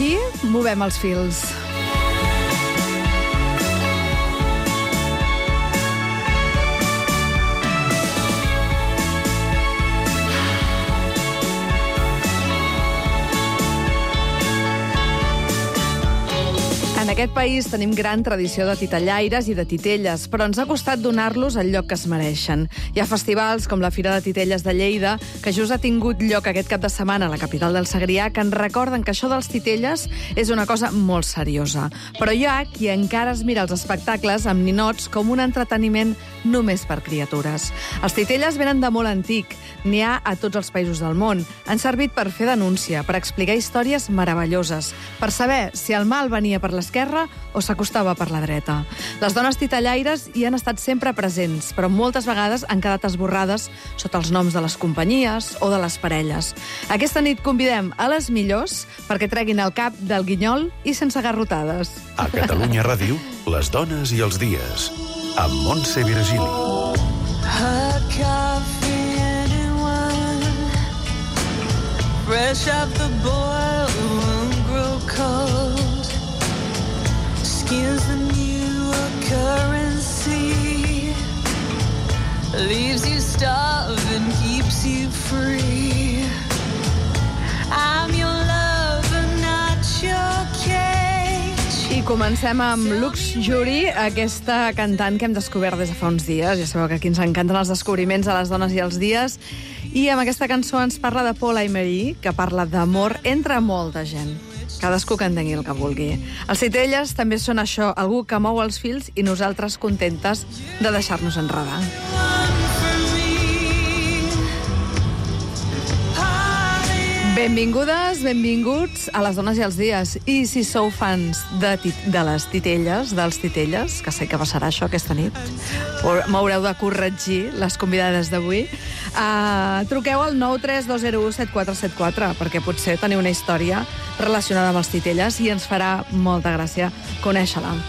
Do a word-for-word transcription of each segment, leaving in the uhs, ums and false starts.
Aquí movem els fils. En aquest país tenim gran tradició de titellaires i de titelles, però ens ha costat donar-los el lloc que es mereixen. Hi ha festivals com la Fira de Titelles de Lleida, que just ha tingut lloc aquest cap de setmana a la capital del Segrià, que ens recorden que això dels titelles és una cosa molt seriosa. Però hi ha qui encara es mira els espectacles amb ninots com un entreteniment només per criatures. Els titelles venen de molt antic, n'hi ha a tots els països del món. Han servit per fer denúncia, per explicar històries meravelloses, per saber si el mal venia per l'esquerra o s'acostava per la dreta. Les dones titellaires hi han estat sempre presents, però moltes vegades han quedat esborrades sota els noms de les companyies o de les parelles. Aquesta nit convidem a les millors perquè treguin el cap del guinyol i sense garrotades. A Catalunya Ràdio, les dones i els dies, amb Montse Virgili. Fresh off the boil, won't grow cold. Skin's the new currency. Leaves you starving, keeps you free. I'm your lover, not your cage. I comencem amb Lux Jury, aquesta cantant que hem descobert des de fa uns dies. Ja sabeu que aquí ens encanten els descobriments a les dones i els dies. I amb aquesta cançó ens parla de Paul Emery, que parla d'amor entre molta gent. Cadascú que entengui el que vulgui. Els titelles també són això, algú que mou els fils i nosaltres contentes de deixar-nos enredar. Benvingudes, benvinguts a les dones i els dies. I si sou fans de, de les titelles, dels titelles, que sé que passarà això aquesta nit, m'haureu de corregir les convidades d'avui, uh, truqueu al nou tres dos zero u set quatre set quatre, perquè potser teniu una història relacionada amb els titelles i ens farà molta gràcia conèixer-la.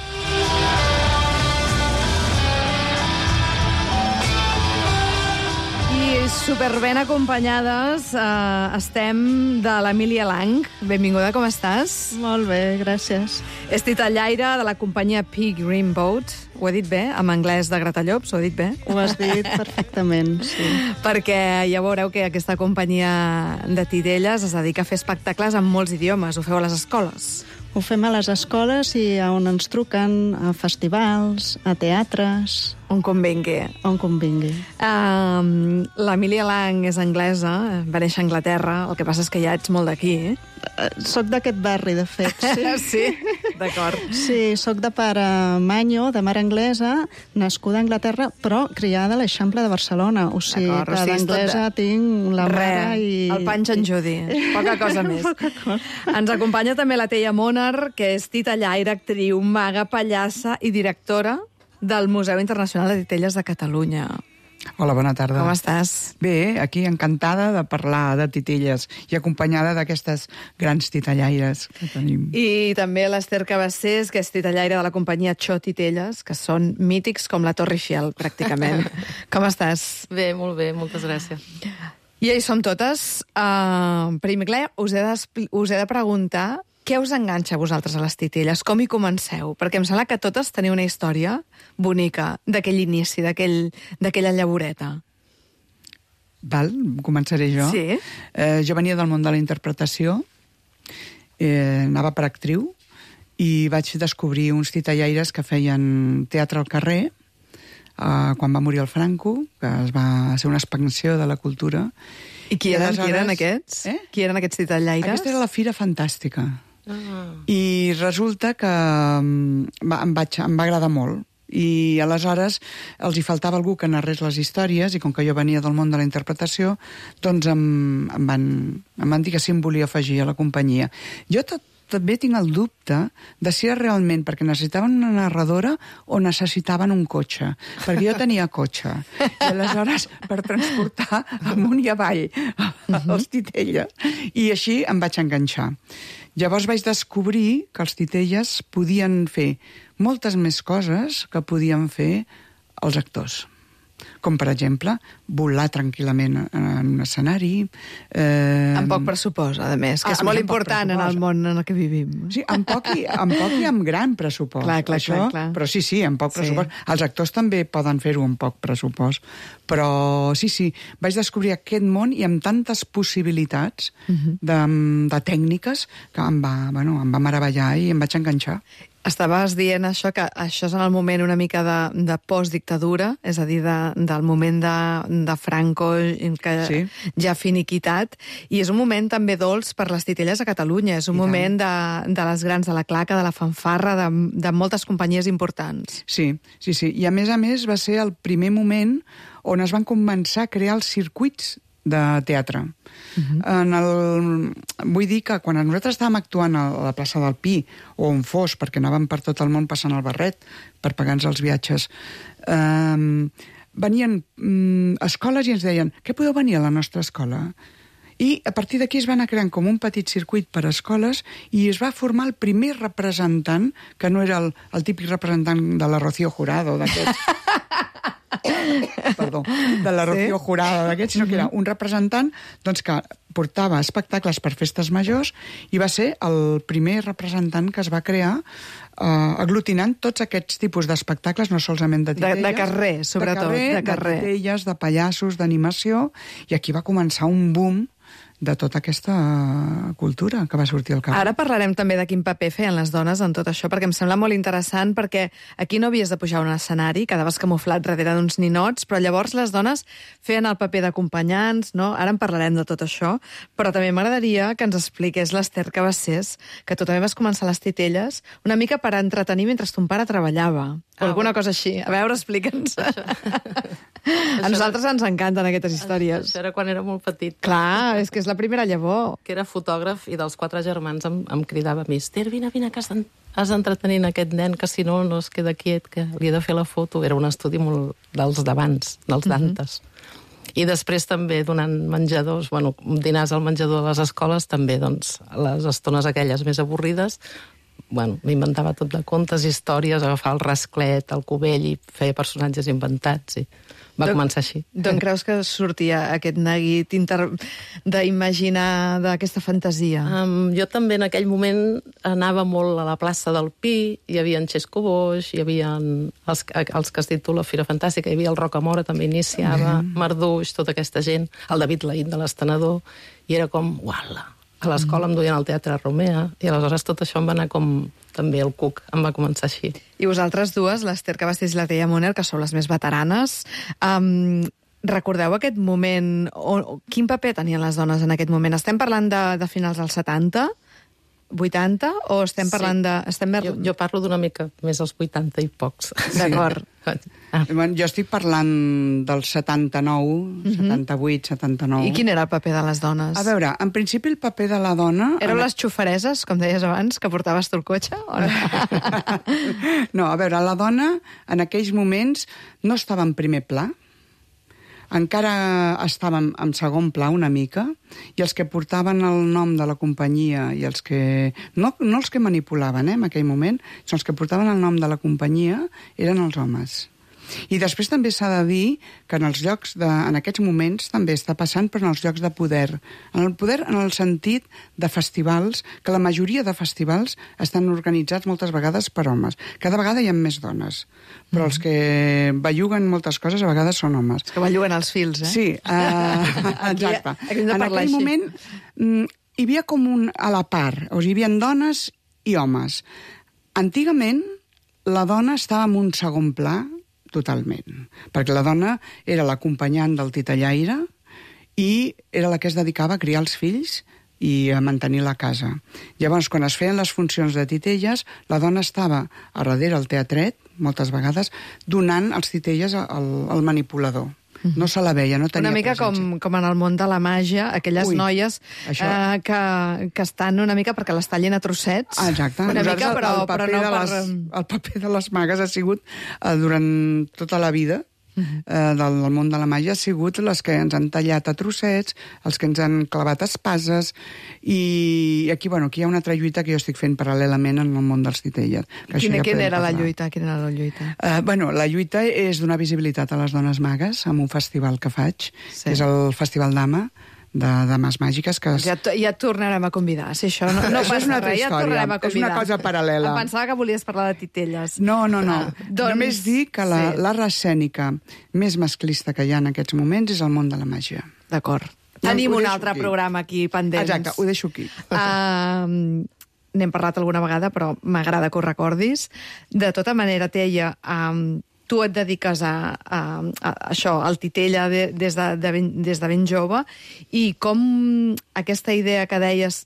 Super ben acompanyades, uh, estem de l'Emília Lang. Benvinguda, com estàs? Molt bé, gràcies. És titellaire de la companyia Pig Green Boat. Ho he dit bé? En anglès de Gratallops, ho he dit bé? Ho has dit perfectament, sí. Perquè ja veureu que aquesta companyia de titelles es dedica a fer espectacles en molts idiomes. Ho feu a les escoles? Ho fem a les escoles i on ens truquen, a festivals, a teatres... On convingui. On convingui. Um, L'Emília Lang és anglesa, va néixer a Anglaterra, el que passa és que ja ets molt d'aquí, eh? Soc d'aquest barri, de fet, sí. Sí? D'acord. Sí, soc de pare manyo, de mare anglesa, nascuda a Anglaterra, però criada a l'Eixample de Barcelona. O sigui, que d'anglesa de... tinc la mare i... El panxa en Judy. Poca cosa més. Poca cosa. Ens acompanya també la Teia Monar, que és titellaire, actriu, maga, pallassa i directora del Museu Internacional de Titelles de Catalunya. Hola, bona tarda. Com estàs? Bé, aquí encantada de parlar de titelles i acompanyada d'aquestes grans titellaires que tenim. I també l'Ester Cabassés, que és titellaire de la companyia Cho Titelles, que són mítics com la Torre Eiffel, pràcticament. Com estàs? Bé, molt bé, moltes gràcies. I ja hi som totes. Uh, primer, us he, de, us he de preguntar què us enganxa a vosaltres a les titelles? Com hi comenceu? Perquè em sembla que totes teniu una història bonica d'aquell inici, d'aquella llavoreta. Val, començaré jo. Sí. Eh, jo venia del món de la interpretació, eh, anava per actriu, i vaig descobrir uns titellaires que feien teatre al carrer, eh, quan va morir el Franco, que es va ser una expansió de la cultura. I qui eren, qui eren aquests? Eh? Qui eren aquests titellaires? Aquesta era la Fira Fantàstica. Ah. I resulta que va, em, vaig, em va agradar molt. I aleshores els hi faltava algú que narrés les històries, i com que jo venia del món de la interpretació, doncs em, em, van, em van dir que sí em volia afegir a la companyia. Jo tot, també tinc el dubte de si era realment perquè necessitaven una narradora o necessitaven un cotxe, perquè jo tenia cotxe. I aleshores, per transportar amunt i avall els titelles. I així em vaig enganxar. Llavors vaig descobrir que els titelles podien fer moltes més coses que podien fer els actors. com per exemple volar tranquil·lament en un escenari. Eh... Amb poc pressupost, a més, que Ah, és molt amb poc important en el pressupost. món en el que vivim. Sí, amb poc i amb, poc i amb gran pressupost. Clar, clar, això, clar, clar. Però sí, sí, amb poc Sí. pressupost. Els actors també poden fer-ho amb poc pressupost. Però sí, sí, vaig descobrir aquest món i amb tantes possibilitats Mhm. de, de tècniques que em va, bueno, em va meravellar i em vaig enganxar. Estaves dient això, que això és en el moment una mica de, de postdictadura, és a dir, de, del moment de, de Franco, que Sí. ja ha finiquitat, i és un moment també dolç per les titelles a Catalunya, és un I moment de, de les grans, de la claca, de la fanfarra, de, de moltes companyies importants. Sí, sí, sí. I a més a més va ser el primer moment on es van començar a crear els circuits de teatre. Uh-huh. En el... Vull dir que quan nosaltres estàvem actuant a la plaça del Pi, o on fos, perquè anàvem per tot el món passant el barret per pagar-nos els viatges, eh, venien mm, escoles i ens deien: què podeu venir a la nostra escola? I a partir d'aquí es va anar creant com un petit circuit per a escoles i es va formar el primer representant, que no era el, el típic representant de la Rocío Jurado, d'aquests... Perdó, de la Rocío Sí? Jurado d'aquests, sinó que era un representant doncs, que portava espectacles per festes majors i va ser el primer representant que es va crear eh, aglutinant tots aquests tipus d'espectacles, no solament de De, titelles. de carrer, sobretot, de, carrer, de carrer. de titelles, de pallassos, d'animació, i aquí va començar un boom de tota aquesta cultura que va sortir al carrer. Ara parlarem també de quin paper feien les dones en tot això, perquè em sembla molt interessant, perquè aquí no havies de pujar a un escenari, quedaves camuflat darrere d'uns ninots, però llavors les dones feien el paper d'acompanyants, no? Ara en parlarem de tot això, però també m'agradaria que ens expliqués l'Ester Cabassés, que tu també vas començar a les titelles, una mica per entretenir mentre ton pare treballava, o Ah, alguna bueno. cosa així. A veure, explica'ns. A nosaltres ens encanten aquestes històries. Això era quan era molt petit. Clar, és que és la primera llavor. Que era fotògraf i dels quatre germans em, em cridava a mi: Ester, vine, vine, que has d'en- has d'entretenir aquest nen, que si no, no es queda quiet, que li he de fer la foto. Era un estudi molt dels d'abans, dels Dantes. I després també donant menjadors, bueno, dinars al menjador de les escoles, també, doncs, les estones aquelles més avorrides, bueno, m'inventava tot de contes, històries, agafar el rasclet, el cubell i feia personatges inventats i va D'on- començar així. D'on creus que sortia aquest neguit inter... d'imaginar d'aquesta fantasia? Um, jo també en aquell moment anava molt a la plaça del Pi, hi havia en Xesco Boix, hi havia els, els que has dit tu, la Fira Fantàstica, hi havia el Rocamora, també iniciava, mm. Marduix, tota aquesta gent, el David Laït de l'Estenedor, i era com, uala, a l'escola em duien al Teatre Romea, i aleshores tot això em va anar com també el cuc, em va començar així. I vosaltres dues, l'Ester Cabassés i la Teia Moner, que sou les més veteranes, um, recordeu aquest moment, o, o, quin paper tenien les dones en aquest moment? Estem parlant de, de finals dels setanta, vuitanta, o estem parlant Sí. de... Estem... Jo, jo parlo d'una mica més als vuitanta i pocs. D'acord. Ah, Bueno, jo estic parlant del setanta-nou, setanta-vuit, setanta-nou. I quin era el paper de les dones? A veure, en principi el paper de la dona... Éreu en- les xofereses, com deies abans, que portaves tu el cotxe? O no? No, a veure, la dona en aquells moments no estava en primer pla, encara estàvem en segon pla una mica, i els que portaven el nom de la companyia i els que... No, no els que manipulaven, eh, en aquell moment, sinó els que portaven el nom de la companyia eren els homes. I després també s'ha de dir que en els llocs de, en aquests moments també està passant, però en els llocs de poder. En el poder en el sentit de festivals, que la majoria de festivals estan organitzats moltes vegades per homes. Cada vegada hi ha més dones, però els que belluguen moltes coses a vegades són homes. Que belluguen els fils, eh? Sí, uh, exacte. Aquí hem de En parlar aquell així. moment mm, hi havia com un a la part, o sigui, hi havia dones i homes. Antigament, la dona estava en un segon pla totalment, perquè la dona era l'acompanyant del titellaire i era la que es dedicava a criar els fills i a mantenir la casa. Llavors, quan es feien les funcions de titelles, la dona estava a darrere el teatret, moltes vegades, donant els titelles al, al manipulador. No se la veia, no tenia Una mica presència. com, com en el món de la màgia, aquelles Ui, noies això- eh, que, que estan una mica perquè les tallin a trossets. Ah, exacte. Una Nosaltres mica, però, el, però paper no de per... les, el paper de les magues ha sigut eh, durant tota la vida uh-huh. eh, del, del món de la màgia, ha sigut les que ens han tallat a trossets, els que ens han clavat espases, i aquí, bueno, aquí hi ha una altra lluita que jo estic fent paral·lelament en el món dels titelles. Quina, ja quina era parlar. la lluita? Quina era la lluita? Uh, bueno, la lluita és donar visibilitat a les dones magues amb un festival que faig, sí. que és el Festival Dama, de Dames Màgiques. Que es... Ja, ja et tornarem a convidar, si això no, no això passa és una altra res, història, ja et tornarem a convidar. És una cosa paral·lela. Em pensava que volies parlar de titelles. No, no, no. Ah, doncs... Només dir que la, sí. l'art escènica més masclista que hi ha en aquests moments és el món de la màgia. D'acord. No, Tenim un deixo altre aquí. programa aquí pendents. Exacte, ho deixo aquí. Uh, n'hem parlat alguna vegada, però m'agrada que ho recordis. De tota manera, Teia, um, tu et dediques a, a, a això, al titella de, des, de, de ben, des de ben jove, i com aquesta idea que deies,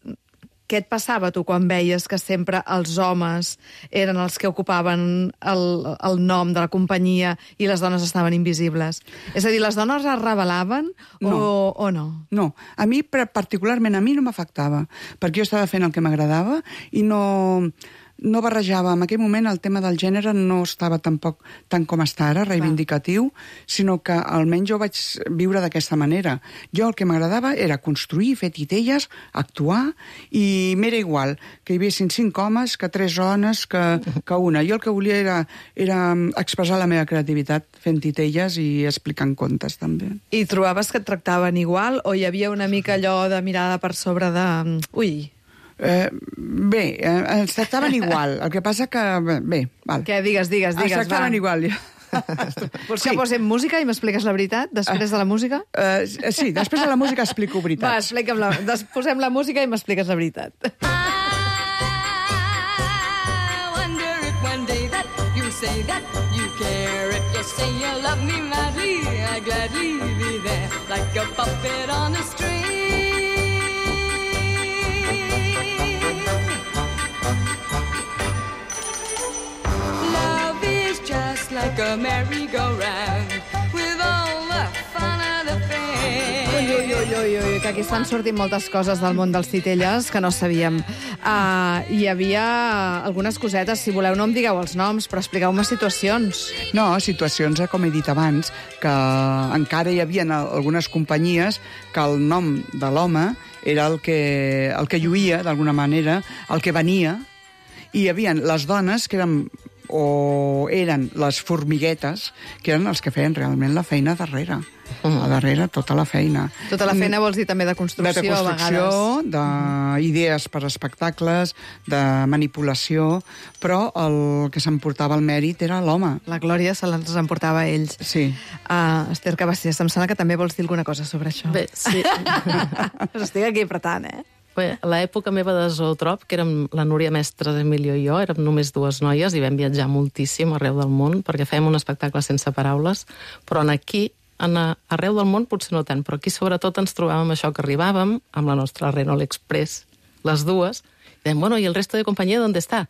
què et passava tu quan veies que sempre els homes eren els que ocupaven el, el nom de la companyia i les dones estaven invisibles? És a dir, les dones es rebel·laven no. o, o no? No, a mi particularment a mi no m'afectava, perquè jo estava fent el que m'agradava i no... no barrejava. En aquell moment el tema del gènere no estava tampoc tant com està ara, reivindicatiu, sinó que almenys jo vaig viure d'aquesta manera. Jo el que m'agradava era construir, fer titelles, actuar, i m'era igual que hi haguessin cinc homes, que tres dones, que, que una. Jo el que volia era, era expressar la meva creativitat fent titelles i explicant contes, també. I trobaves que et tractaven igual, o hi havia una mica allò de mirada per sobre de... Ui... Eh, bé, eh, ens tractaven igual. El que passa que... Bé, val. Què? Digues, digues, digues, ens tractaven va. igual. Vols que sí. posem música i m'expliques la veritat després de la música? Uh, sí, després de la música explico veritats. Va, explica'm la... Des... posem la música i m'expliques la veritat. I wonder if one day that you say that you care, if you say you love me madly, I gladly be there like a puppet on a string. Like a merry-go-round with all the fun of the fair. Ui, ui, ui, ui, ui, que aquí estan sortint moltes coses del món dels titelles que no sabíem. Uh, hi havia algunes cosetes, si voleu no em digueu els noms, però expliqueu-me situacions. No, situacions, com he dit abans, que encara hi havia algunes companyies que el nom de l'home era el que, el que lluïa, d'alguna manera, el que venia, i hi havia les dones que eren o eren les formiguetes, que eren els que feien realment la feina darrere. Uh-huh. A darrere, tota la feina. Tota la feina vols dir també de construcció, de construcció, a vegades. D'idees per espectacles, de manipulació, però el que s'emportava el mèrit era l'home. La glòria se les emportava a ells. Sí. Uh, Esther Cabasés, em sembla que també vols dir alguna cosa sobre això. Bé, sí. Us estic aquí apretant, eh? Bé, a l'època meva de Zootrop, que érem la Núria Mestre, Emilio i jo, érem només dues noies i vam viatjar moltíssim arreu del món perquè fèiem un espectacle sense paraules, però en aquí, en a, arreu del món potser no tant, però aquí sobretot ens trobàvem això, que arribàvem amb la nostra Renault Express, les dues, i dèiem, bueno, ¿y el resto de compañía dónde está?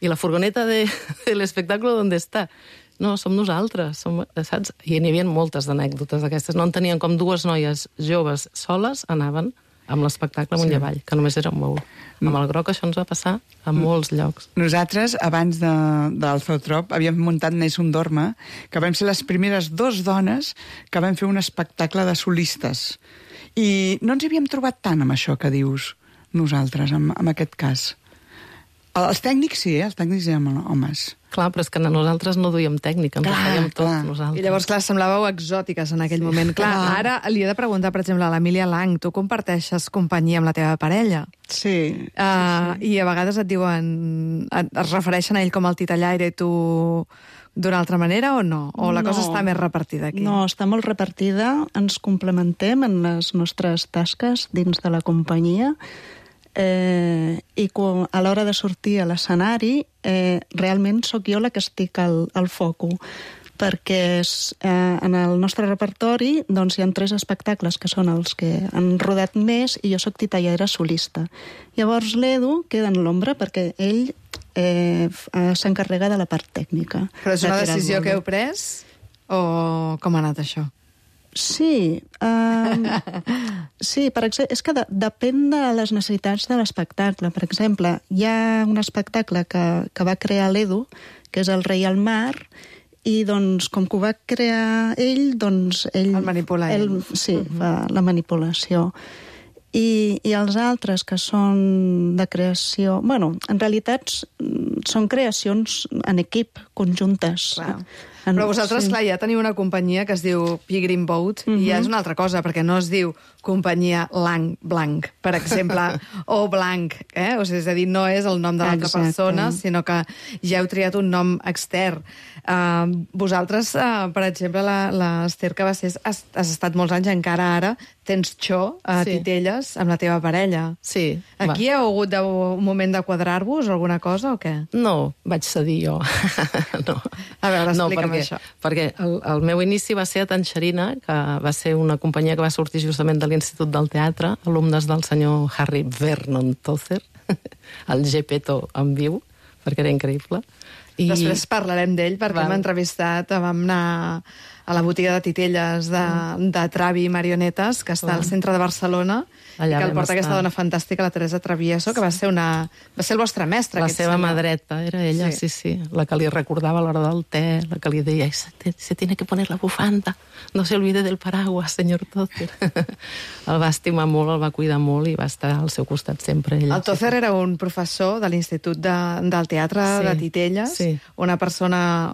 I la furgoneta de, de l'espectacle dónde está? No, som nosaltres, som, saps? I n'hi havia moltes d'anècdotes d'aquestes, no en tenien com dues noies joves soles, anaven amb l'espectacle amunt i avall, que només era un bou. Amb el groc això ens va passar a molts llocs. Nosaltres, abans de, del Zootrop, havíem muntat Neix un Dorma, que vam ser les primeres dos dones que vam fer un espectacle de solistes. I no ens hi havíem trobat tant amb això que dius nosaltres, en, en aquest cas. Els tècnics sí, eh? Els tècnics eren homes. Clar, però és que nosaltres no duíem tècnica, ens clar, ho fèiem tot clar. nosaltres. I llavors, clar, semblàveu exòtiques en aquell moment. Clar, ara li he de preguntar, per exemple, a l'Emília Lang, tu comparteixes companyia amb la teva parella. Sí. Uh, sí, sí. I a vegades et diuen, et, es refereixen a ell com el titellaire i tu d'una altra manera o no? O la no, cosa està més repartida aquí? No, està molt repartida, ens complementem en les nostres tasques dins de la companyia. Eh, i quan, a l'hora de sortir a l'escenari eh, realment sóc jo la que estic al, al foco, perquè és, eh, en el nostre repertori doncs, hi ha tres espectacles que són els que han rodat més i jo sóc titellera solista. Llavors l'Edu queda en l'ombra perquè ell eh, s'encarrega de la part tècnica. Però és una decisió que heu pres o com ha anat això? Sí, um, sí, per exemple, és que de, depèn de les necessitats de l'espectacle. Per exemple, hi ha un espectacle que, que va crear l'Edu, que és El rei al mar, I, doncs, com que ho va crear ell, doncs... Ell, El manipula ell. ell sí, uh-huh. fa la manipulació. I, I els altres, que són de creació... Bueno, en realitat són creacions en equip, conjuntes. Clar. Però vosaltres, sí. clar, ja teniu una companyia que es diu Pilgrim Boat, uh-huh. i ja és una altra cosa, perquè no es diu companyia Lang Blanc, per exemple, o Blanc, eh? O sigui, és a dir, no és el nom de l'altra persona, sinó que ja heu triat un nom extern. Uh, vosaltres, uh, per exemple, l'Ester que va ser, has, has estat molts anys, encara ara, tens xo a sí. Titelles amb la teva parella. Sí. Aquí va. heu hagut de, un moment de quadrar-vos o alguna cosa, o què? No, vaig cedir jo. no. A veure, explica'm no, perquè, això. Perquè el, el meu inici va ser a Tanxerina, que va ser una companyia que va sortir justament de l'Institut del Teatre, alumnes del senyor Harry Vernon Tozer, el Gepetto en viu, perquè era increïble. I... Després parlarem d'ell, perquè hem entrevistat, vam anar a la botiga de titelles de, de Travi i Marionetes, que està al centre de Barcelona, allà i que el porta estar. Aquesta dona fantàstica, la Teresa Travieso, que va ser, una, va ser el vostre mestre. La seva mà dreta, era ella, sí. sí, sí. La que li recordava a l'hora del te, la que li deia, se, se tiene que poner la bufanda, no se olvide del paraguas, senyor Tozer. El va estimar molt, el va cuidar molt i va estar al seu costat sempre. Ella, el Tozer sí. era un professor de l'Institut de, del Teatre sí. de Titelles, sí. una persona,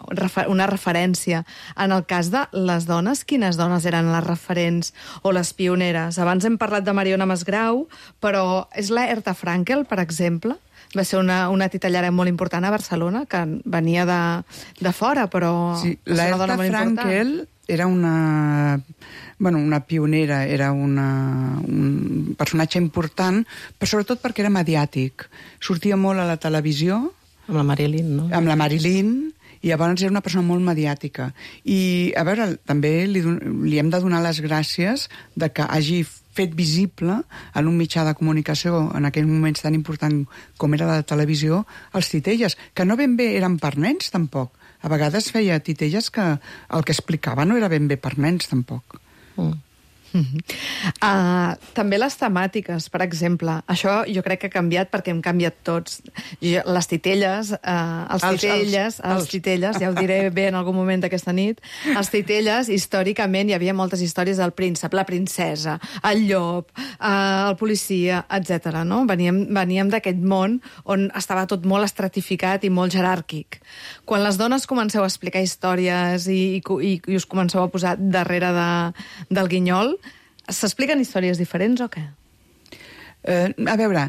una referència. En el cas de les dones, quines dones eren les referents o les pioneres? Abans hem parlat de Mariona Masgrau, però és la Herta Frankel, per exemple? Va ser una, una titellera molt important a Barcelona, que venia de, de fora, però... Sí, la Herta Frankel era una, bueno, una pionera, era una, un personatge important, però sobretot perquè era mediàtic. Sortia molt a la televisió. Amb la Marilyn, no? Amb la Marilyn, i llavors era una persona molt mediàtica. I, a veure, també li, li hem de donar les gràcies de que hagi fet visible en un mitjà de comunicació en aquells moments tan important com era la televisió, els titelles, que no ben bé eren per nens, tampoc. A vegades feia titelles que el que explicava no era ben bé per nens, tampoc. Mm. Mm-hmm. Uh, també les temàtiques, per exemple. Això jo crec que ha canviat perquè hem canviat tots. Jo, les titelles, uh, els, els titelles, els, els, els titelles, ja ho diré bé en algun moment d'aquesta nit, els titelles, històricament, hi havia moltes històries del príncep, la princesa, el llop, uh, el policia, etcètera. No? Veníem, veníem d'aquest món on estava tot molt estratificat i molt jeràrquic. Quan les dones comenceu a explicar històries i, i, i us comenceu a posar darrere de, del guinyol, s'expliquen històries diferents o què? Eh, a veure,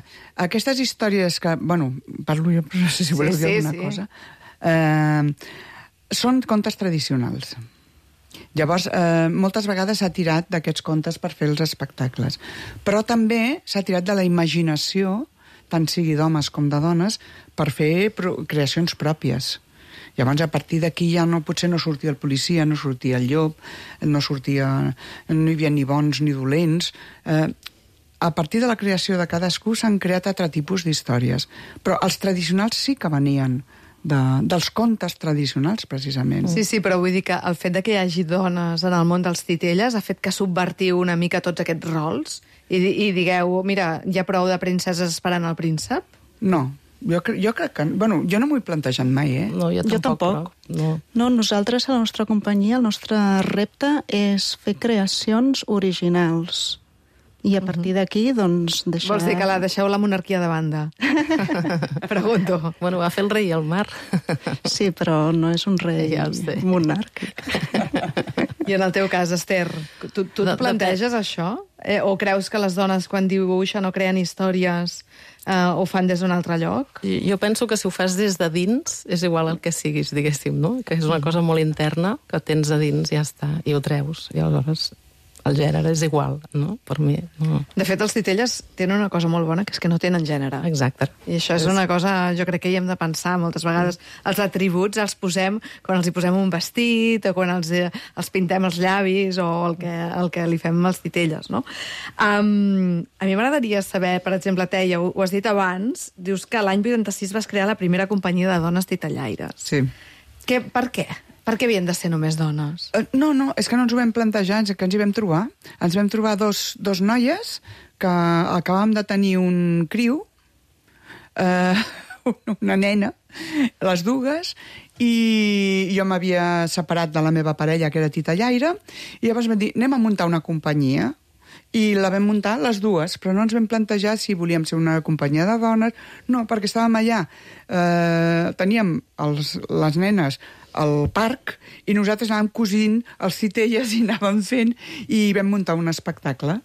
aquestes històries que... Bueno, parlo jo, però no sé si voleu sí, dir alguna sí, cosa. Sí. Eh, són contes tradicionals. Llavors, eh, moltes vegades s'ha tirat d'aquests contes per fer els espectacles. Però també s'ha tirat de la imaginació, tant sigui d'homes com de dones, per fer pro- creacions pròpies. Llavors, a partir d'aquí ja no, potser no sortia el policia, no sortia el llop, no sortia... no hi havia ni bons ni dolents. Eh, a partir de la creació de cadascú s'han creat altre tipus d'històries. Però els tradicionals sí que venien de, dels contes tradicionals, precisament. Sí, sí, però vull dir que el fet de que hi hagi dones en el món dels titelles ha fet que subvertiu una mica tots aquests rols i, i digueu, mira, hi ha prou de princeses esperant el príncep? No. Jo, jo crec que... Bueno, jo no m'ho he plantejat mai, eh? No, jo tampoc. Jo tampoc. No. no, nosaltres, a la nostra companyia, el nostre repte és fer creacions originals. I a partir d'aquí, doncs, deixar... Vols dir que la deixeu la monarquia de banda? Pregunto. Bueno, va fer el rei al mar. Sí, però no és un rei ja monàrquic. I en el teu cas, Ester, tu, tu no, et planteges no, això? Eh, o creus que les dones, quan dibuixen o creen històries, eh, ho fan des d'un altre lloc? Jo penso que si ho fas des de dins, és igual el que siguis, diguéssim, no? Que és una cosa molt interna, que tens a dins i ja està, i ho treus. I aleshores el gènere és igual, no? Per mi, no. De fet, els titelles tenen una cosa molt bona, que és que no tenen gènere. Exacte. I això és una cosa, jo crec que hi hem de pensar moltes vegades. Els atributs els posem quan els hi posem un vestit o quan els, els pintem els llavis o el que, el que li fem als titelles, no? Um, a mi m'agradaria saber, per exemple, Teia, ho, ho has dit abans, dius que l'any vuitanta-sis vas crear la primera companyia de dones titellaires. Sí. Que, per què? Per què havien de ser només dones? Uh, no, no, és que no ens ho vam plantejar, és que ens hi vam trobar. Ens vam trobar dos, dos noies que acabàvem de tenir un criu, uh, una nena, les dues, i jo m'havia separat de la meva parella, que era titellaire, i llavors vam dir, anem a muntar una companyia, i la vam muntar les dues, però no ens vam plantejar si volíem ser una companyia de dones, no, perquè estàvem allà, eh, teníem els, les nenes al parc, i nosaltres anàvem cosint els titelles i anàvem fent, i vam muntar un espectacle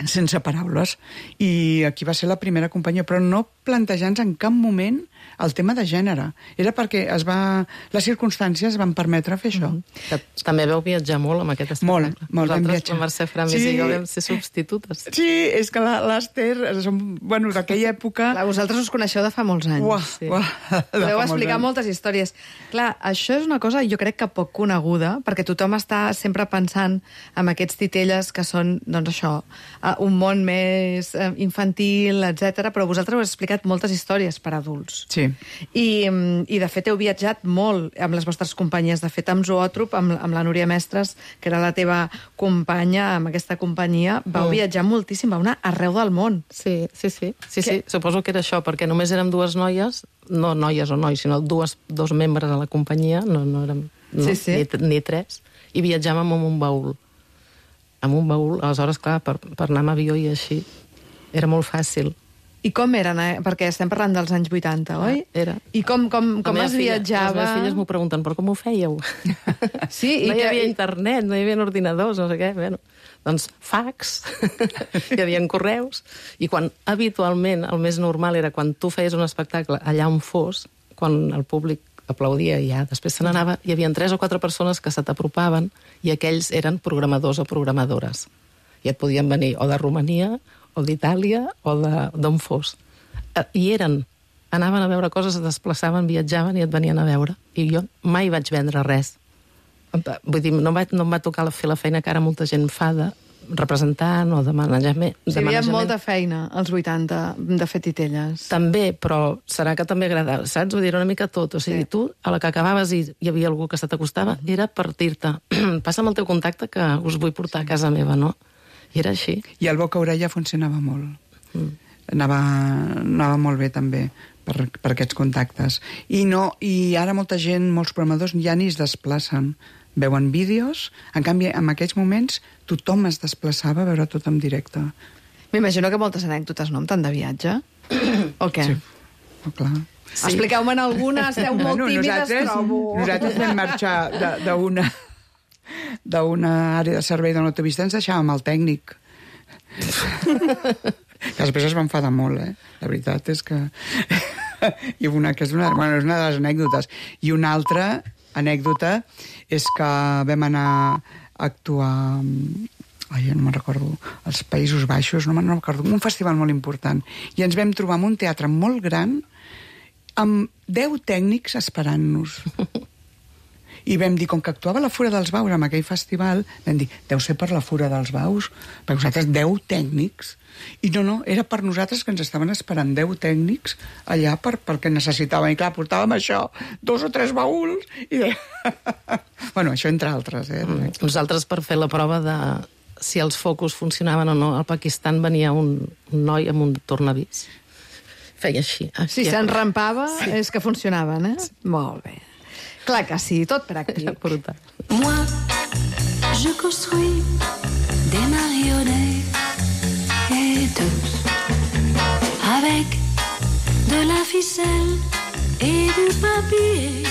sense paraules, i aquí va ser la primera companyia, però no plantejant-nos en cap moment el tema de gènere. Era perquè es va, les circumstàncies van permetre fer això. Que també veu viatjar molt amb aquest espectacle. Molt, molt, vam Nosaltres, viatjar. la Mercè Framis Sí. i jo vam ser substitutes. Sí, és que la- l'Ester, som, bueno, d'aquella època... Clar, vosaltres us coneixeu de fa molts anys. Uah, sí. uah, de Podeu fa explicar molts anys. moltes històries. Clar, això és una cosa jo crec que poc coneguda, perquè tothom està sempre pensant en aquests titelles que són, doncs això, eh, un món més eh, infantil, etcètera, però vosaltres heu explicat moltes històries per adults. Sí. I, mm, I, de fet, heu viatjat molt amb les vostres companyies. De fet, amb Zoòtrop, amb, amb la Núria Mestres, que era la teva companya amb aquesta companyia, vau Mm. viatjar moltíssim, vau anar arreu del món. Sí, sí, sí. sí, Què? sí. Suposo que era això, perquè només érem dues noies, no noies o nois, sinó dues, dos membres a la companyia, no, no érem no, Sí, sí. Ni, ni tres, i viatjàvem amb un baúl. Amb un baúl, aleshores, clar, per, per anar amb avió i així, era molt fàcil. I com eren, eh? Perquè estem parlant dels anys vuitanta, oi? Era. I com, com, La com meva es filla- viatjava? Les meves filles m'ho pregunten, però com ho fèieu? Sí, i no hi que- havia internet, no hi havia ordinadors, no sé què. Bueno, doncs fax, hi havia correus, i quan habitualment el més normal era quan tu feies un espectacle allà on fos, quan el públic aplaudia i ja després se n'anava, hi havia tres o quatre persones que se t'apropaven i aquells eren programadors o programadores. I et podien venir o de Romania, o d'Itàlia, o de- d'on fos. Eh, I eren, anaven a veure coses, es desplaçaven, viatjaven i et venien a veure. I jo mai vaig vendre res. Vull dir, no, vaig, no em va tocar fer la feina que ara molta gent fa de representant o de manejament. Hi de havia manejament. molta feina, als vuitanta, de fer titelles. També, però serà que també agradava, saps? Vull dir, una mica tot. O sigui, Sí. tu, a la que acabaves i hi havia algú que se t'acostava, era per dir-te, passa'm el teu contacte que us vull portar a casa meva, no? I era així. I el boca-orella funcionava molt. Mm. Anava, anava molt bé, també, per, per aquests contactes. I, no, I ara molta gent, molts programadors, ja ni es desplacen. Veuen vídeos, en canvi, en aquells moments, tothom es desplaçava a veure tot en directe. M'imagino que moltes anècdotes, no?, amb tant de viatge. O què? Sí, oh, clar. Sí. Expliqueu-me'n alguna, esteu molt Bueno, tímides, nosaltres, trobo. nosaltres vam marxar de- d'una d'una àrea de servei de l'autopista, ens deixàvem el tècnic. Que després es va enfadar molt, eh? La veritat és que... I una, que és una, bueno, és una de les anècdotes. I una altra anècdota és que vam anar a actuar... Ai, no me'n recordo, als Països Baixos, no me'n recordo, un festival molt important. I ens vam trobar en un teatre molt gran amb deu tècnics esperant-nos. I vam dir, com que actuava a la Fura dels Baus, en aquell festival, vam dir, deu ser per la Fura dels Baus, perquè nosaltres deu tècnics. I no, no, era per nosaltres que ens estaven esperant deu tècnics allà per, perquè necessitaven. I clar, portàvem això, dos o tres baúls. I... bueno, això entre altres, eh? Mm. Nosaltres, per fer la prova de si els focus funcionaven o no, al Pakistan venia un, un noi amb un tornavís. Feia així. Si s'enrampava, sí. És que funcionaven, eh? Sí. Molt bé. Clar que sí, tot pràctic. Era brutal. Moi, je construis des marionnettes avec de la ficelle et du papier.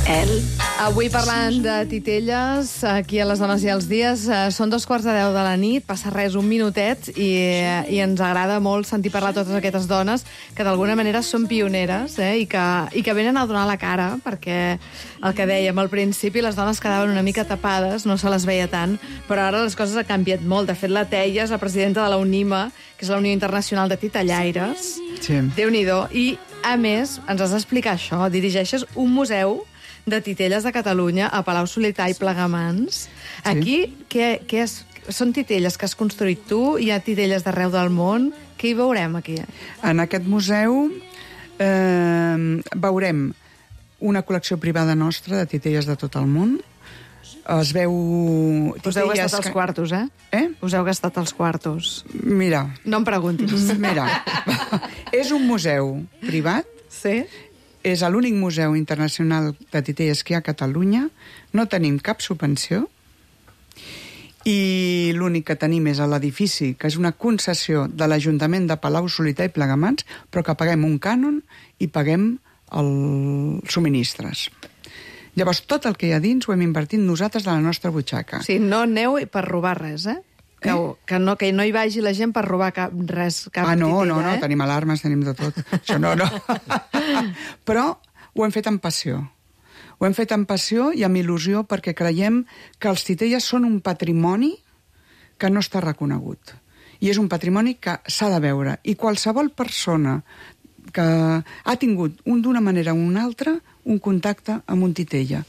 Elle. Avui parlant de titelles, aquí a Les Dones i els Dies, eh, són dos quarts de deu de la nit, passa res, un minutet, i, eh, i ens agrada molt sentir parlar totes aquestes dones que d'alguna manera són pioneres, eh, i, que, i que venen a donar la cara, perquè el que dèiem al principi, les dones quedaven una mica tapades, no se les veia tant, però ara les coses han canviat molt. De fet, la Teia és la presidenta de la UNIMA, que és la Unió Internacional de Titellaires. Sí. Déu-n'hi-do. I, a més, ens has d'explicar això, dirigeixes un museu de titelles de Catalunya a Palau Solità i Plegamans. Aquí, què, què és? Són titelles que has construït tu? Hi ha titelles d'arreu del món? Què hi veurem, aquí? En aquest museu eh, veurem una col·lecció privada nostra de titelles de tot el món. Es veu... Us heu gastat els que- quartos, eh? Eh? Us heu gastat els quartos. Mira, No em preguntis. mira. És un museu privat Sí? És l'únic museu internacional de titelles que hi ha a Catalunya. No tenim cap subvenció. I l'únic que tenim és a l'edifici, que és una concessió de l'Ajuntament de Palau-solità i Plegamans, però que paguem un cànon i paguem els subministres. Llavors, tot el que hi ha dins ho hem invertit nosaltres de la nostra butxaca. O sigui, no aneu per robar res, eh? Que, Eh? que, no, que no hi vagi la gent per robar cap, res, cap Ah, no, titella, no, no, eh? tenim alarmes, tenim de tot. Això no, no. Però ho hem fet amb passió. Ho hem fet amb passió i amb il·lusió perquè creiem que els titelles són un patrimoni que no està reconegut. I és un patrimoni que s'ha de veure. I qualsevol persona que ha tingut un d'una manera o una altra un contacte amb un titella,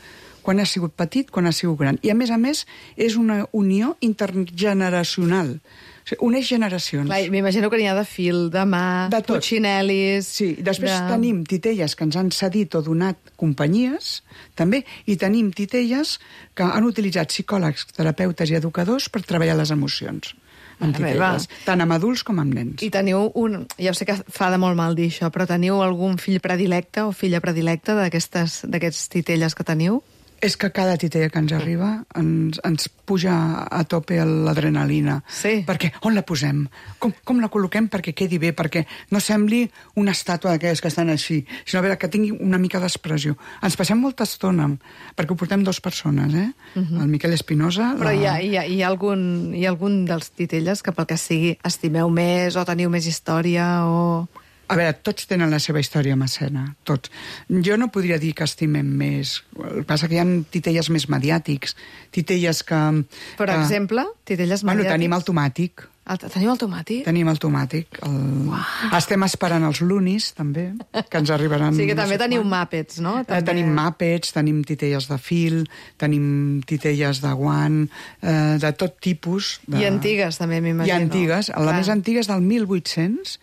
quan ha sigut petit, quan ha sigut gran. I, a més a més, és una unió intergeneracional. O sigui, uneix generacions. Clar, m'imagino que n'hi ha de fil, de mà, De tot. putxinel·lis... Sí, després de... tenim titelles que ens han cedit o donat companyies, també, i tenim titelles que han utilitzat psicòlegs, terapeutes i educadors per treballar les emocions amb Mare meva. titelles, tant amb adults com amb nens. I teniu un... Ja sé que fa de molt mal dir això, però teniu algun fill predilecte o filla predilecta d'aquestes d'aquests titelles que teniu? És que cada titella que ens arriba ens, ens puja a tope l'adrenalina. Sí. Perquè on la posem? Com, com la col·loquem perquè quedi bé? Perquè no sembli una estàtua d'aquelles que estan així, sinó a veure, que tingui una mica d'expressió. Ens passem molta estona, perquè ho portem dues persones, eh? Uh-huh. El Miquel Espinosa... Però la... hi ha, hi, ha, hi, ha algun, hi ha algun dels titelles que pel que sigui estimeu més o teniu més història o... A veure, tots tenen la seva història amb escena, tots. Jo no podria dir que estimem més. El que passa que hi ha titelles més mediàtics, titelles que... Per que... exemple, titelles Bueno, mediàtics. tenim el tomàtic. El, teniu el tomàtic? Tenim el tomàtic. El... Estem esperant els lunis, també, que ens arribaran... O sigui que no també sé teniu quan. Muppets, no? Eh, tenim Muppets, tenim titelles de fil, tenim titelles de guant, eh, de tot tipus. De... I antigues, també, m'imagino. I antigues. La Clar. més antiga és del mil vuit-cents,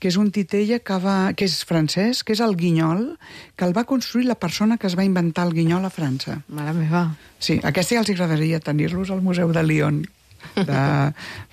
que és un titella que, va, que és francès, que és el guinyol, que el va construir la persona que es va inventar el guinyol a França. Mare meva. Sí, aquesta ja els agradaria tenir-los al Museu de Lyon, de...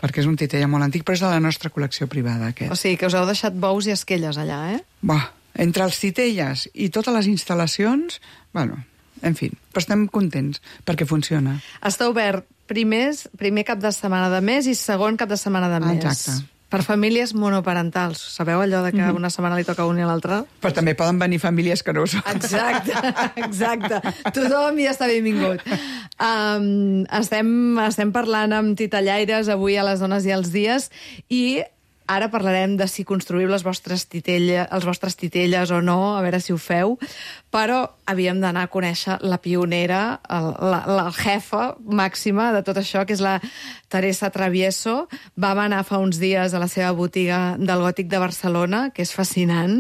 perquè és un titella molt antic, però és de la nostra col·lecció privada, aquest. O sigui que us heu deixat bous i esquelles allà, eh? Bah, entre els titelles i totes les instal·lacions, bueno, en fi, però estem contents perquè funciona. Està obert primers, primer cap de setmana de mes i segon cap de setmana de mes. Exacte. Per famílies monoparentals. Sabeu allò de que una setmana li toca a un i a l'altre? Però també poden venir famílies que no ho són. Exacte, exacte. Tothom hi està benvingut. Um, estem, estem parlant amb titellaires avui a les Dones i els Dies i ara parlarem de si construïu les vostres titelles, els vostres titelles o no, a veure si ho feu, però havíem d'anar a conèixer la pionera, el, la, la jefa màxima de tot això, que és la Teresa Travieso. Vam anar fa uns dies a la seva botiga del Gòtic de Barcelona, que és fascinant,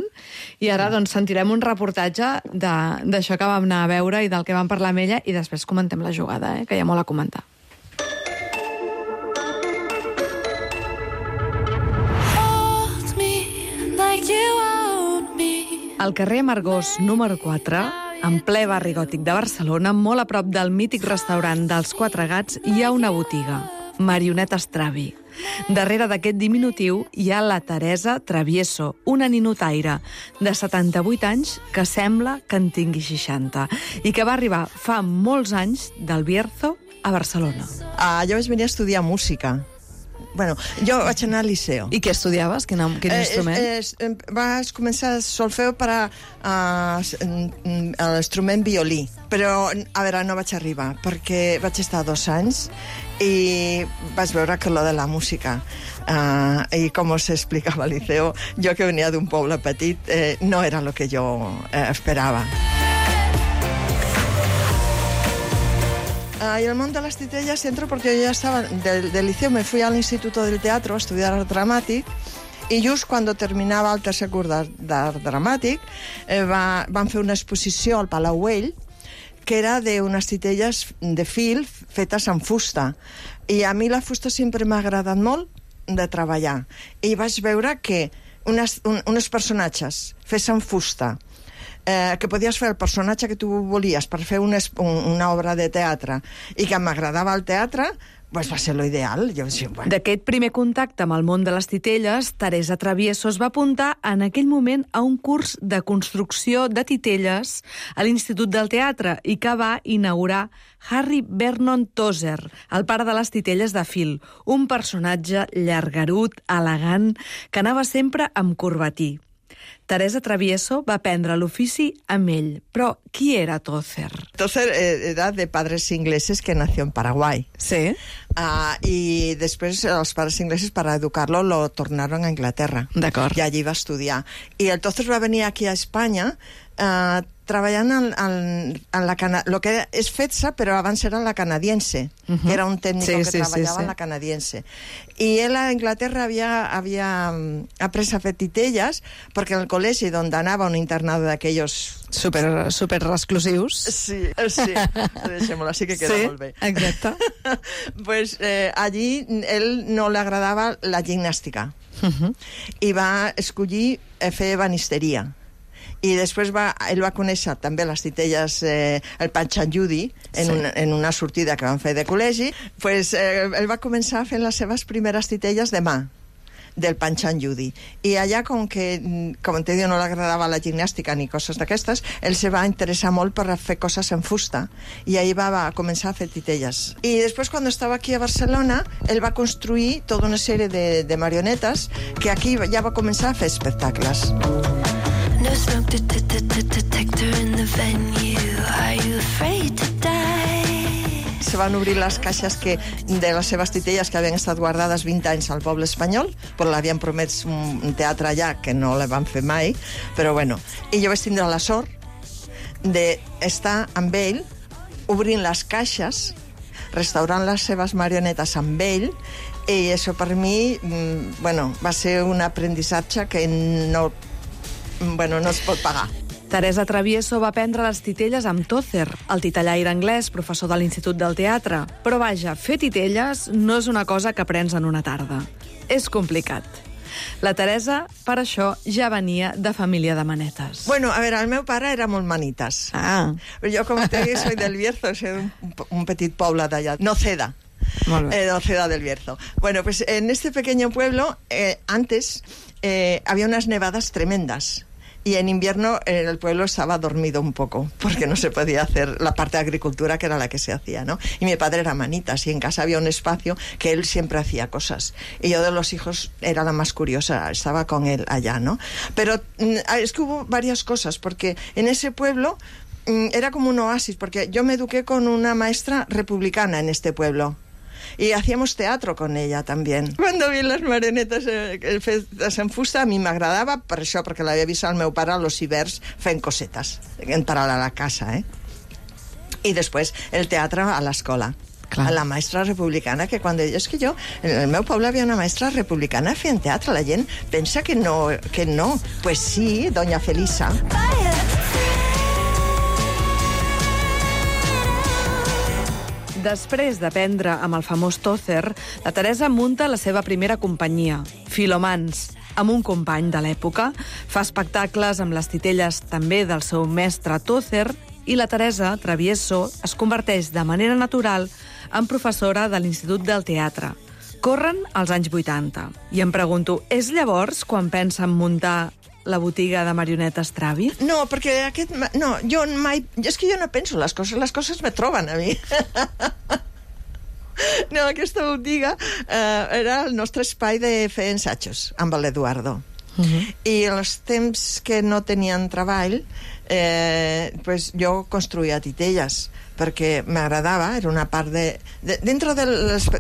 i ara doncs, sentirem un reportatge d'això que vam anar a veure i del que vam parlar amb ella, i després comentem la jugada, eh, que hi ha molt a comentar. Al carrer Amargós número quatre, en ple barri gòtic de Barcelona, molt a prop del mític restaurant dels Quatre Gats, hi ha una botiga, Marioneta Stravi. Darrere d'aquest diminutiu hi ha la Teresa Travieso, una ninotaire de setanta-vuit anys que sembla que en tingui seixanta i que va arribar fa molts anys del Bierzo a Barcelona. Ah, jo vaig venir a estudiar música. Bueno, jo vaig anar al liceu. I què estudiaves? Quin, quin instrument? Eh, eh, vas començar solfeu per a, uh, l'instrument violí, però a veure, no vaig arribar, perquè vaig estar dos anys i vaig veure que lo de la música uh, i com us explicava al liceu, jo que venia d'un poble petit, eh, no era lo que jo eh, esperava. Uh, y el mundo de las titellas entro porque yo ya estaba del, del liceo, me fui al Instituto del Teatro a estudiar art dramàtic i just quan terminava el tercer curs d'art dramàtic eh, va, van fer una exposició al Palau Güell que era d'unes titelles de fil fetes amb fusta, i a mi la fusta sempre m'ha agradat molt de treballar, i vaig veure que unes, un, uns personatges fets amb fusta, Eh, que podies fer el personatge que tu volies per fer una, una obra de teatre i que m'agradava el teatre, pues va ser lo ideal. Jo, sí, bueno. D'aquest primer contacte amb el món de les titelles, Teresa Travieso es va apuntar en aquell moment a un curs de construcció de titelles a l'Institut del Teatre i que va inaugurar Harry Vernon Tozer, el pare de les titelles de fil, un personatge llargarut, elegant, que anava sempre amb corbatí. Teresa Travieso va aprendre l'ofici amb ell. Però qui era Tozer? Tozer era de padres ingleses que nació en Paraguay. Sí. Uh, y después los padres ingleses, para educarlo, lo tornaron a Inglaterra. D'acord. Y allí va a estudiar. Y el Tozer va venir aquí a Espanya uh, treballant en, en, en la cana lo que és FEDSA, però abans era la canadiense, uh -huh. que era un tècnic sí, que sí, treballava sí, sí. en la canadiense. I ell a Inglaterra havia, havia après a fer titelles, perquè en el col·legi on anava, un internado d'aquells... Super, super exclusius. Sí, sí. Deixem-ho, així que queda sí, molt bé. Exacte. Pues eh, allí ell no li agradava la gimnàstica Uh -huh. i va escollir fer ebanisteria. I després va, ell va conèixer també les titelles, eh, el Panchayudi, en, sí. una, en una sortida que van fer de col·legi. Pues, eh, ell va començar fent les seves primeres titelles de mà, del Panchayudi. I allà, com que, com te diu, no li agradava la gimnàstica ni coses d'aquestes, ell se va interessar molt per fer coses en fusta. I ahir va, va començar a fer titelles. I després, quan estava aquí a Barcelona, ell va construir tota una sèrie de, de marionetes que aquí ja va començar a fer espectacles. No smoke detector in the venue. Are you afraid to die? Se van obrir les caixes que, de les seves titelles que havien estat guardades vint anys al poble espanyol, però l'havien promès un teatre allà que no la van fer mai, però bueno. I jo vaig tindre la sort d'estar amb ell, obrint les caixes, restaurant les seves marionetes amb ell, i això per mi, bueno, va ser un aprenditzatge que no... Bueno, no es pot pagar. Teresa Travieso va aprendre les titelles amb Tozer, el titellaire anglès, professor de l'Institut del Teatre. Però vaja, fer titelles no és una cosa que aprens en una tarda. És complicat. La Teresa, per això, ja venia de família de manetes. Bueno, a veure, el meu pare era molt manitas. Ah. Jo, com te dic, soy del Bierzo, soy un, un petit poble d'allà. Noceda. Molt bé. Eh, Noceda del Bierzo. Bueno, pues en este pequeño pueblo, eh, antes, eh, había unas nevadas tremendas. Y en invierno eh, el pueblo estaba dormido un poco, porque no se podía hacer la parte de agricultura, que era la que se hacía, ¿no? Y mi padre era manitas, y en casa había un espacio que él siempre hacía cosas. Y yo de los hijos era la más curiosa, estaba con él allá, ¿no? Pero es que hubo varias cosas, porque en ese pueblo era como un oasis, porque yo me eduqué con una maestra republicana en este pueblo. Y hacíamos teatro con ella también. Cuando vi les marionetes eh, fetes en fusta, a mi m'agradava per això, perquè l'havia vist al meu pare a los hiverns fent cosetes, en paral·lel a la casa, eh? I després el teatre a l'escola. A la maestra republicana, que quan deia, és que jo, en el meu poble havia una maestra republicana fent teatre, la gent pensa que no, que no. Pues sí, doña Felisa. Després d'aprendre amb el famós Tozer, la Teresa munta la seva primera companyia, Filomans, amb un company de l'època. Fa espectacles amb les titelles també del seu mestre Tozer i la Teresa Travieso es converteix de manera natural en professora de l'Institut del Teatre. Corren els anys vuitanta. I em pregunto, és llavors quan pensa en muntar la botiga de marionetes Travi? No, perquè aquest... No, jo mai... És que jo no penso les coses, les coses me troben a mi. No, aquesta botiga eh, era el nostre espai de fer ensajos amb l'Eduardo. Uh-huh. I en els temps que no tenien treball, eh, pues jo construïa titelles, perquè m'agradava, era una part de... de dintre del,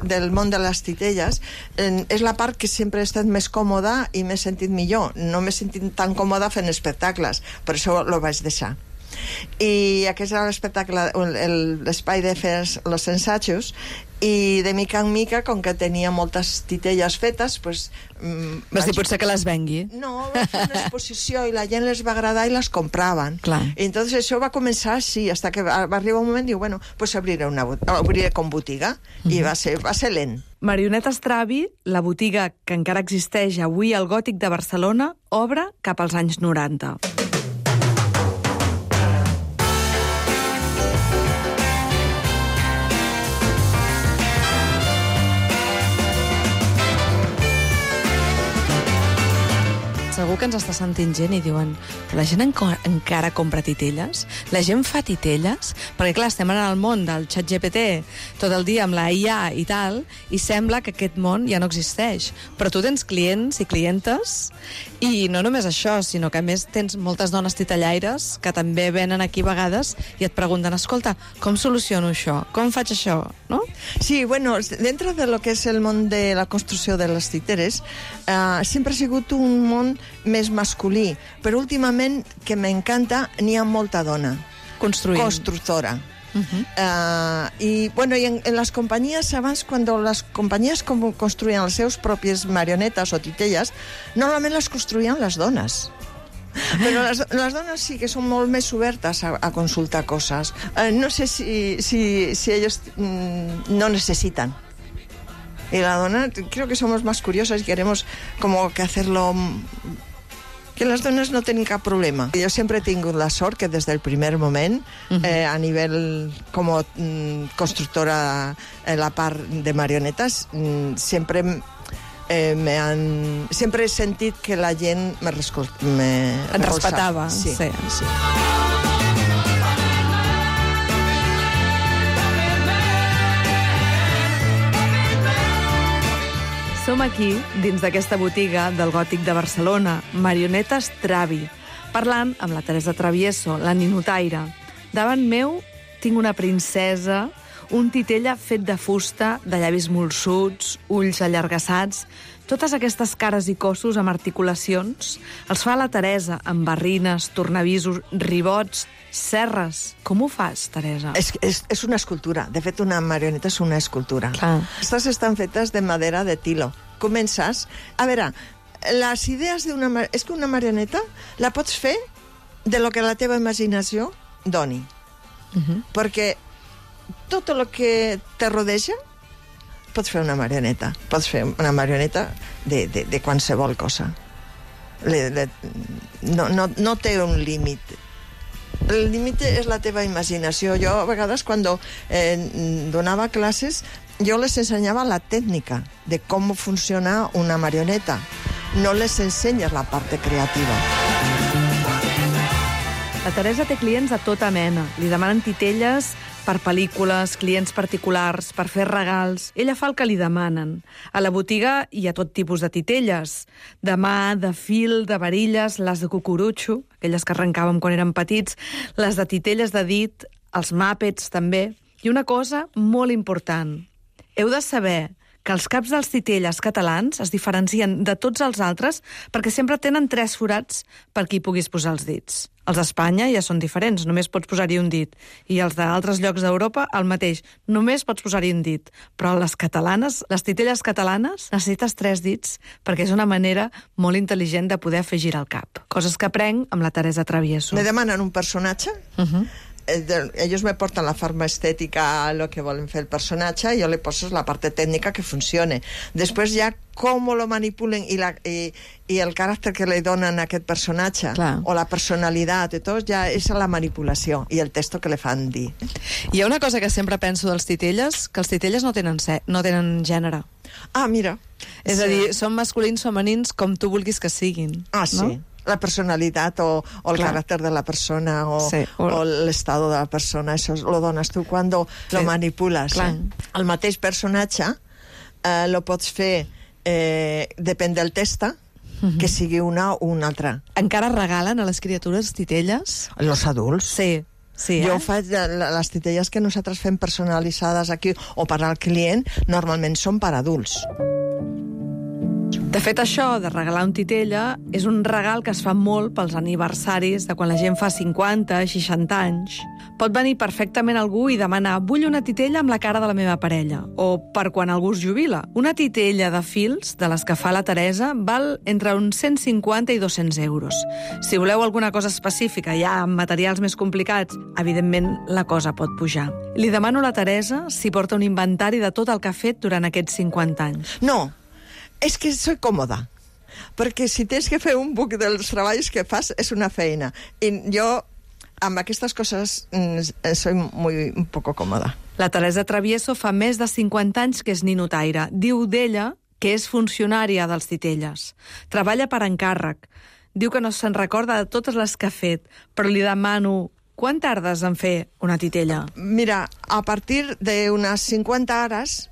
del món de les titelles, eh, és la part que sempre he estat més còmoda i m'he sentit millor. No m'he sentit tan còmoda fent espectacles, per això lo vaig deixar. I aquest era l'espectacle, l'espai de fer els ensajos, i de mica en mica, com que tenia moltes titelles fetes, pues, mm, vas dir, potser que les vengui? No, va fer una exposició i la gent les va agradar i les compraven. Clar. I entonces això va començar així, hasta que va arribar un moment i diu, bueno, pues abriré, una, abriré com botiga, mm-hmm. i va ser, va ser lent. Marionetes Travi, la botiga que encara existeix avui al Gòtic de Barcelona, obre cap als anys noranta. segur que ens està sentint gent i diuen però la gent enco encara compra titelles? La gent fa titelles? Perquè, clar, estem en el món del xat G P T tot el dia amb la I A i tal, i sembla que aquest món ja no existeix. Però tu tens clients i clientes, i no només això, sinó que a més tens moltes dones titellaires que també venen aquí a vegades i et pregunten, escolta, com soluciono això? Com faig això? No? Sí, bueno, dentro de lo que es el món de la construcció de les titeres, eh, sempre ha sigut un món més masculí, però últimament, que m'encanta, n'hi ha molta dona. Construint. Constructora. Uh-huh. Uh, y bueno, y en, en las compañías, abans, cuando las compañías como construían les seus pròpies marionetes o titelles, normalment les construïen les dones. Però les, les dones sí que són molt més obertes a, a consultar coses. Uh, no sé si, si, si ellos mm, no necesitan. Y la dona, creo que somos más curiosas y queremos como que hacerlo... Que les dones no tenen cap problema. Jo sempre he tingut la sort que des del primer moment, uh-huh. eh, a nivell com a mm, constructora en la part de marionetes, mm, sempre eh, me han... sempre he sentit que la gent me, rescol... me et respectava. Sí. Sí. Sí. Som aquí, dins d'aquesta botiga del Gòtic de Barcelona, Marionetes Travi, parlant amb la Teresa Travieso, la ninotaire. Davant meu tinc una princesa, un titella fet de fusta, de llavis molsuts, ulls allargassats. Totes aquestes cares i cossos amb articulacions els fa la Teresa, amb barrines, tornavisos, ribots, serres. Com ho fas, Teresa? És, és, és una escultura. De fet, una marioneta és una escultura. Clar. Aquestes estan fetes de madera de tilo. Comences... A veure, les idees d'una... És que una marioneta la pots fer de lo que la teva imaginació doni. Uh-huh. Perquè tot el que te rodeja pots fer una marioneta. Pots fer una marioneta de, de, de qualsevol cosa. Le, le, no, no, no té un límit. El límit és la teva imaginació. Jo, a vegades, quan eh, donava classes, jo les ensenyava la tècnica de com funciona una marioneta. No les ensenyes la part creativa. La Teresa té clients de tota mena. Li demanen titelles per pel·lícules, clients particulars, per fer regals. Ella fa el que li demanen. A la botiga hi ha tot tipus de titelles. De mà, de fil, de varilles, les de cucurutxo, aquelles que arrencàvem quan érem petits, les de titelles de dit, els màpets també. I una cosa molt important. Heu de saber que els caps dels titelles catalans es diferencien de tots els altres perquè sempre tenen tres forats per qui puguis posar els dits. Els d'Espanya ja són diferents, només pots posar-hi un dit. I els d'altres llocs d'Europa, el mateix, només pots posar-hi un dit. Però les catalanes, les titelles catalanes, necessites tres dits perquè és una manera molt intel·ligent de poder fer girar el cap. Coses que aprenc amb la Teresa Travieso. Me demanen un personatge, uh-huh. ellos me portan la forma estética a lo que volen fer el personatge i jo le poso la parte tècnica que funcione. Després ja com lo manipulen i, la, i, i el caràcter que li donen a aquest personatge, clar, o la personalitat i tot, ja és la manipulació i el texto que le fan dir. Hi ha una cosa que sempre penso dels titelles, que els titelles no tenen, se no tenen gènere. Ah, mira. És sí. a dir, són masculins, femenins, com tu vulguis que siguin. Ah, sí. No? La personalitat o, o el Clar. caràcter de la persona o, sí, o... o l'estado de la persona, això lo dones tu quan sí. lo manipules. Eh? El mateix personatge eh, lo pots fer, eh, depèn del testa, uh-huh. que sigui una o una altra. Encara regalen a les criatures titelles? Los adults? Sí. Sí, jo eh? faig les titelles que nosaltres fem personalitzades aquí o per al client, normalment són per adults. De fet, això de regalar un titella és un regal que es fa molt pels aniversaris de quan la gent fa cinquanta, seixanta anys. Pot venir perfectament algú i demanar vull una titella amb la cara de la meva parella, o per quan algú es jubila. Una titella de fils, de les que fa la Teresa, val entre uns cent cinquanta i dos-cents euros. Si voleu alguna cosa específica, ja amb materials més complicats, evidentment la cosa pot pujar. Li demano a la Teresa si porta un inventari de tot el que ha fet durant aquests cinquanta anys. No, és que soy còmoda, perquè si tens que fer un book dels treballs que fas és una feina. I jo, amb aquestes coses, soy muy, un poco còmoda. La Teresa Travieso fa més de cinquanta anys que és ninotaire. Diu d'ella que és funcionària dels titelles. Treballa per encàrrec. diu que no se'n recorda de totes les que ha fet, però li demano quan tardes en fer una titella? Mira, a partir d'unes cinquanta hores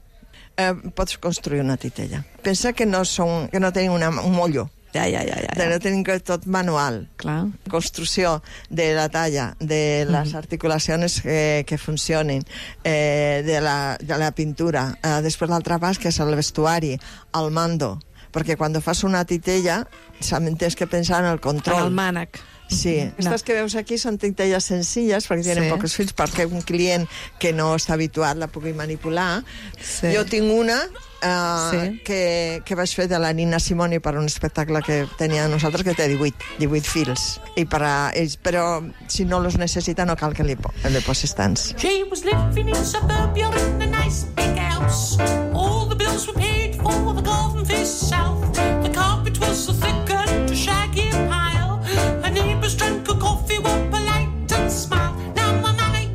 eh, pots construir una titella. Pensa que no, són, que no tenim una, un mollo. Ja, ja, ja, ja. De no tenim que tot manual. Clar. Construcció de la talla, de les articulacions que, que funcionin, eh, de, la, de la pintura. Eh, després l'altre pas, que és el vestuari, el mando. Perquè quan fas una titella, també tens que pensar en el control. En el mànec. Sí, aquestes que veus aquí són titelles senzilles perquè tenen Sí. pocs fils, perquè un client que no està habituat la pugui manipular. Sí. Jo tinc una uh, Sí. que, que vaig fer de la Nina Simoni per un espectacle que tenia nosaltres, que té divuit, divuit fils. I per a, ells, però si no los necessita no cal que li, po li posis tants. She was living in suburbia in a nice big house. All the bills were paid for, the garden faced south. The carpet was so thick and a shaggy pile. Her neighbors drank a coffee, were polite and smiled. Now my money.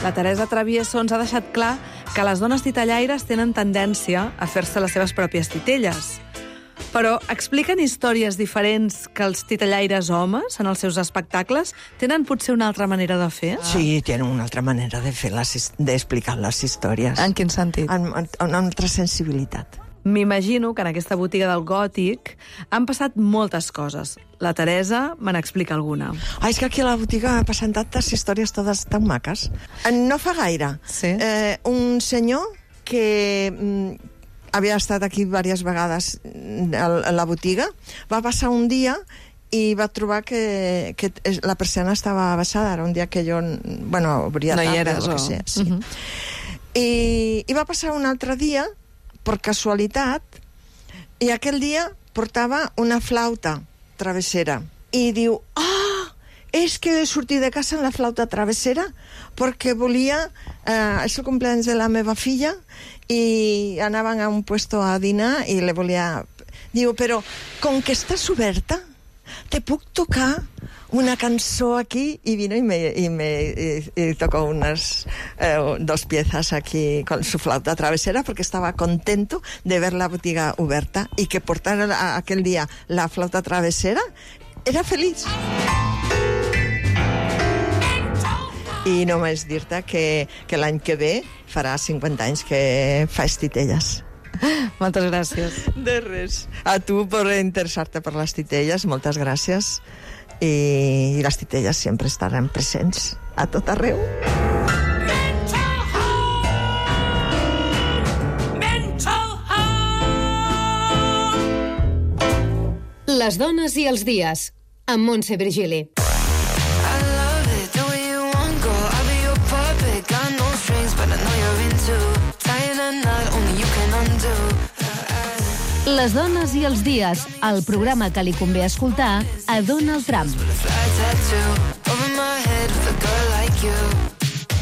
La Teresa Travieso ens ha deixat clar que les dones titellaires tenen tendència a fer-se les seves pròpies titelles. Però expliquen històries diferents que els titellaires homes en els seus espectacles? Tenen potser una altra manera de fer? Sí, tenen una altra manera de fer les, d'explicar les històries. En quin sentit? Amb, amb una altra sensibilitat. M'imagino que en aquesta botiga del Gòtic han passat moltes coses. La Teresa me n'explica alguna. Ah, és que aquí a la botiga passen tantes històries totes tan maques. No fa gaire, Sí. eh, un senyor que mm, havia estat aquí diverses vegades a la botiga, va passar un dia i va trobar que, que la persiana estava baixada. Era un dia que jo, bueno, obria No hi tarda, eres, o o- que sé, sí. Mhm. I, I va passar un altre dia, per casualitat, i aquell dia portava una flauta travessera. I diu, ah, és que he sortit de casa amb la flauta travessera perquè volia, eh, és el cumpleaños de la meva filla i anaven a un puesto a dinar i le volia... Diu, però com que estàs oberta, te puc tocar una cançó aquí, y vino y me, y me y, y tocó unas eh, dos piezas aquí con su flauta travesera porque estaba contento de ver la botiga oberta y que portar a, aquel día la flauta travesera era feliç. I només dir-te que, que l'any que ve farà cinquanta anys que fa titelles. Moltes gràcies. De res. A tu per interessar-te per les titelles, moltes gràcies. I, i les titelles sempre estaran presents a tot arreu. Les dones i els dies, amb Montse Virgili. I love it, the way you want go. I'll be your puppet, got no strings, but I know you're into tying a knot only you can undo. Les dones i els dies, el programa que li convé escoltar a Donald Trump. Fly tattoo over my head with a girl like you.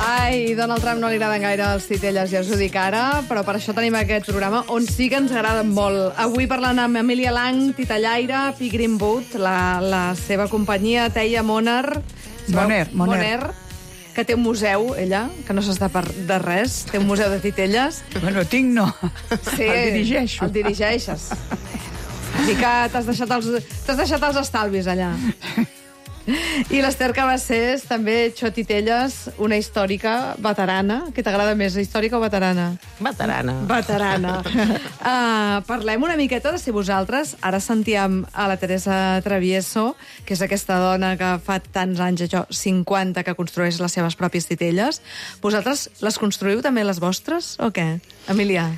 Ai, Donald Trump no li agraden gaire els titelles, ja us ho dic ara, però per això tenim aquest programa on sí que ens agraden molt. Avui parlant amb Emília Lang, titellaire, Pi Greenwood, la, la seva companyia, Teia Moner. Moner, Moner. Moner, que té un museu, ella, que no s'està per de res, té un museu de titelles. Bueno, tinc no. Sí, El dirigeixo. El dirigeixes. Així que t'has deixat, els, t'has deixat els estalvis allà. I l'Ester Cabacés, també, Xotitelles, una històrica veterana. Què t'agrada més, històrica o veterana? Veterana. Veterana. uh, parlem una miqueta de si vosaltres, ara sentíem a la Teresa Travieso, que és aquesta dona que fa tants anys, això, cinquanta, que construeix les seves pròpies titelles. Vosaltres les construïu també les vostres, o què? Emília?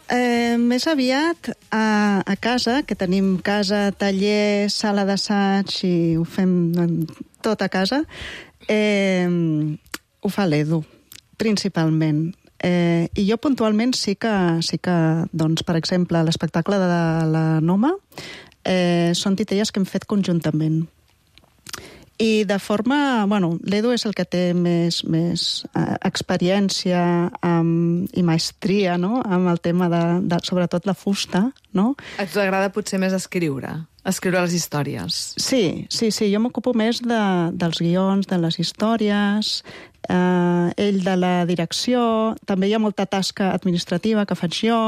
Eh, més aviat a, a casa, que tenim casa, taller, sala d'assaig i ho fem tot a casa, eh, ho fa l'Edu, principalment. Eh, I jo puntualment sí que, sí que doncs, per exemple, l'espectacle de la Noma eh, són titelles que hem fet conjuntament. I de forma... Bueno, l'Edu és el que té més, més eh, experiència um, i maestria, no?, amb el tema de, de, sobretot, la fusta, no? Et agrada potser més escriure, escriure les històries. Sí, sí, sí, jo m'ocupo més de, dels guions, de les històries, eh, ell de la direcció, també hi ha molta tasca administrativa que faig jo,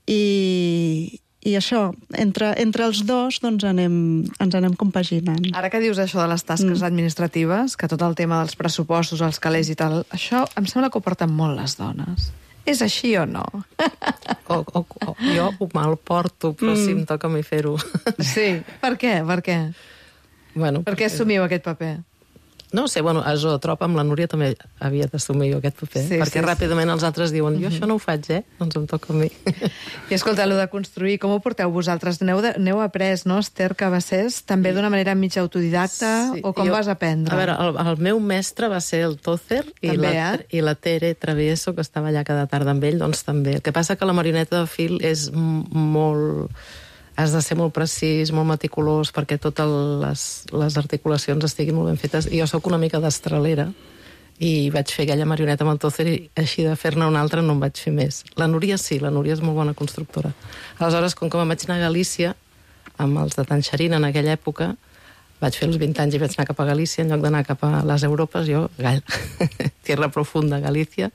i, i això, entre, entre els dos doncs anem, ens anem compaginant. Ara que dius això de les tasques mm. administratives, que tot el tema dels pressupostos, els calés i tal, això em sembla que ho porten molt les dones. És així o no? O, o, o, jo ho mal porto, però mm. sí em toca a mi fer-ho. Sí, per què? Per què? Bueno, per què assumiu aquest paper? No sé, bueno, a Zootropa amb la Núria també havia d'assumir jo aquest paper, sí, perquè sí, ràpidament els altres diuen, jo això no ho faig, eh? Doncs em toca a mi. I escolta, allò de construir, com ho porteu vosaltres? N'heu, de, n'heu après, no, Esther Cabassés, també d'una manera mig autodidacta, sí, o com jo, vas aprendre? A veure, el, el meu mestre va ser el Tócer i, també, la, eh? i la Tere Travieso, que estava allà cada tarda amb ell, doncs també. El que passa que la marioneta de fil és molt... has de ser molt precís, molt meticulós, perquè totes les, les articulacions estiguin molt ben fetes. I jo sóc una mica destralera, i vaig fer aquella marioneta amb el Tócer, i així de fer-ne una altra no en vaig fer més. La Núria sí, la Núria és molt bona constructora. Aleshores, com que me'n vaig anar a Galícia, amb els de Tanxerín en aquella època, vaig fer els vint anys i vaig anar cap a Galícia, en lloc d'anar cap a les Europes, jo, Gall, Tierra Profunda, Galícia,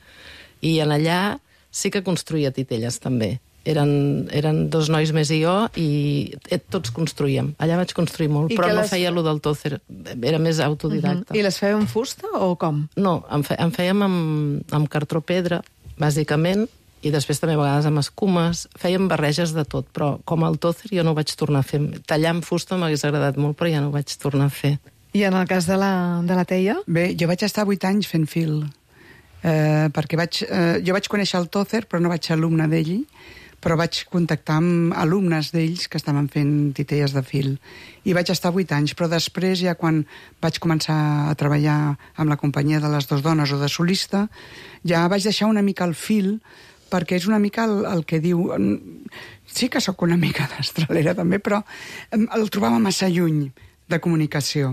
i en allà sí que construïa titelles, també. Eren, eren dos nois més i jo, i tots construïem. Allà vaig construir molt, I però no les... feia allò del Tócer, era més autodidacta. Uh-huh. I les fèieu en fusta o com? No, en, fe, en fèiem amb, amb cartró pedra, bàsicament, i després també a vegades amb escumes. Fèiem barreges de tot, però com el Tócer jo no ho vaig tornar a fer. Tallar amb fusta m'hagués agradat molt, però ja no ho vaig tornar a fer. I en el cas de la, de la Teia? Bé, jo vaig estar vuit anys fent fil, eh, perquè vaig, eh, jo vaig conèixer el Tócer, però no vaig ser alumne d'ell, però vaig contactar amb alumnes d'ells que estaven fent titelles de fil. I vaig estar vuit anys, però després, ja quan vaig començar a treballar amb la companyia de les dues dones o de solista, ja vaig deixar una mica el fil, perquè és una mica el, el que diu... Sí que sóc una mica destralera també, però el trobava massa lluny de comunicació.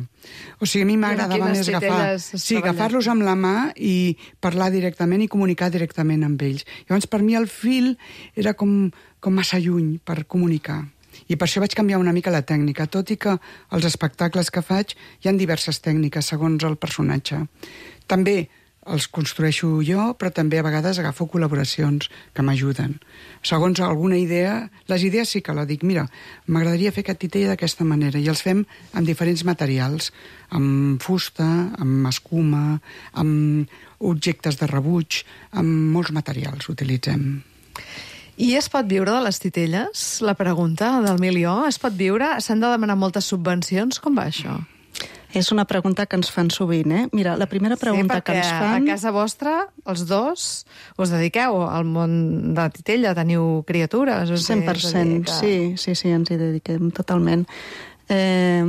O sigui, a mi m'agradava més agafar, sí, agafar-los amb la mà i parlar directament i comunicar directament amb ells. Llavors, per mi el fil era com, com massa lluny per comunicar. I per això vaig canviar una mica la tècnica, tot i que als espectacles que faig hi ha diverses tècniques segons el personatge. També els construeixo jo, però també a vegades agafo col·laboracions que m'ajuden. Segons alguna idea, les idees sí que la dic, mira, m'agradaria fer aquest titella d'aquesta manera, i els fem amb diferents materials, amb fusta, amb escuma, amb objectes de rebuig, amb molts materials utilitzem. I es pot viure de les titelles? La pregunta del milió, es pot viure? S'han de demanar moltes subvencions? Com va això? És una pregunta que ens fan sovint, eh? Mira, la primera pregunta sí, que ens fan... a casa vostra, els dos, us dediqueu al món de la titella, teniu criatures? cent per cent, que... sí, sí, sí, ens hi dediquem totalment. Eh,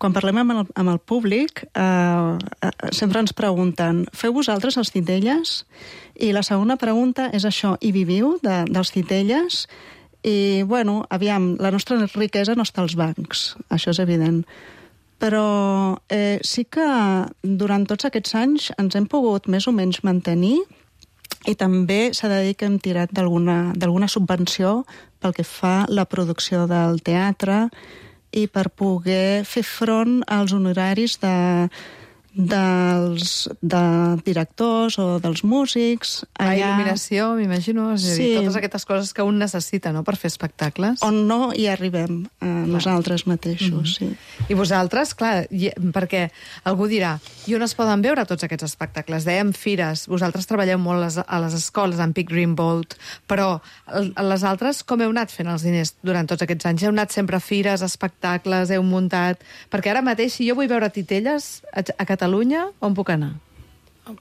quan parlem amb el, amb el públic, eh, sempre ens pregunten, feu vosaltres els titelles? I la segona pregunta és això, hi viviu de, dels titelles? I, bueno, aviam, la nostra riquesa no està als bancs, això és evident. Però eh, sí que durant tots aquests anys ens hem pogut més o menys mantenir, i també s'ha de dir que hem tirat d'alguna d'alguna subvenció pel que fa la producció del teatre i per poder fer front als honoraris de, dels de directors o dels músics. La allà... il·luminació, m'imagino, és a dir, sí. Totes aquestes coses que un necessita, no?, per fer espectacles. On no hi arribem, eh, nosaltres mateixos, mm-hmm. sí. I vosaltres, clar, perquè algú dirà, i on es poden veure tots aquests espectacles? Dèiem fires, vosaltres treballeu molt les, a les escoles, amb Big Green Boat, però a les altres com heu anat fent els diners durant tots aquests anys? Heu anat sempre a fires, espectacles, heu muntat... Perquè ara mateix, si jo vull veure titelles a, a Catalunya, on puc anar?